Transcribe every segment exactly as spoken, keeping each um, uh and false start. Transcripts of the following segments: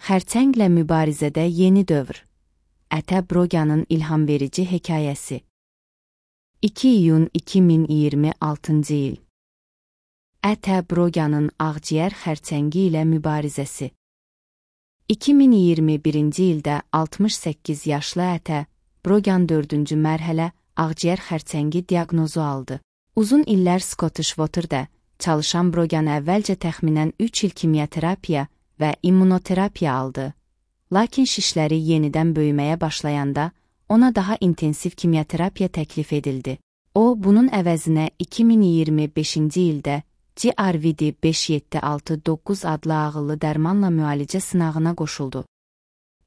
Xərçənglə mübarizədə yeni dövr. Ətə Broganın ilhamverici hekayəsi. iki iyun iki min iyirmi altıncı il. Ətə Broganın ağciyər xərçəngi ilə mübarizəsi. iki min iyirmi birinci ildə altmış səkkiz yaşlı Ətə Brogan dördüncü mərhələ ağciyər xərçəngi diaqnozu aldı. Uzun illər Scottish Water'da çalışan Brogan əvvəlcə təxminən üç il kimyaterapiya və immunoterapiya aldı. Lakin şişləri yenidən böyüməyə başlayanda ona daha intensiv kimyaterapiya təklif edildi. O, bunun əvəzinə iki min iyirmi beşinci ildə G R V D beş yeddi altı doqquz adlı ağıllı dərmanla müalicə sınağına qoşuldu.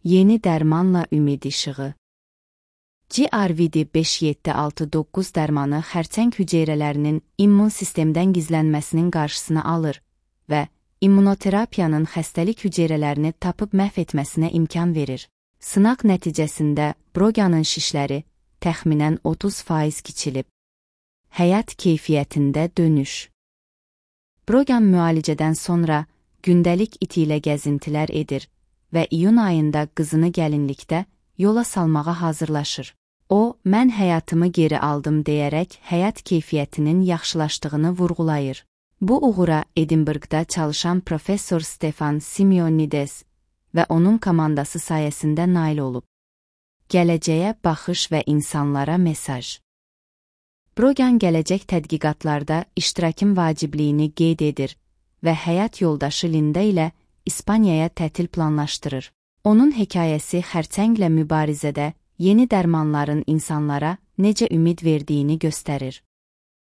Yeni dərmanla ümid işığı. G R V D beş yeddi altı doqquz dərmanı xərçəng hüceyrələrinin immun sistemdən gizlənməsinin qarşısını alır və immunoterapiyanın xəstəlik hüceyrələrini tapıb məhv etməsinə imkan verir. Sınaq nəticəsində Broganın şişləri təxminən otuz faiz kiçilib. Həyat keyfiyyətində dönüş. Brogan müalicədən sonra gündəlik iti ilə gəzintilər edir və iyun ayında qızını gəlinlikdə yola salmağa hazırlaşır. O, mən həyatımı geri aldım deyərək həyat keyfiyyətinin yaxşılaşdığını vurğulayır. Bu uğura Edinburghda çalışan professor Stefan Simeonides və onun komandası sayəsində nail olub. Gələcəyə baxış və insanlara mesaj. Brogan gələcək tədqiqatlarda iştirakın vacibliyini qeyd edir və həyat yoldaşı Linda ilə İspaniyaya tətil planlaşdırır. Onun hekayəsi xərçənglə mübarizədə yeni dərmanların insanlara necə ümid verdiyini göstərir.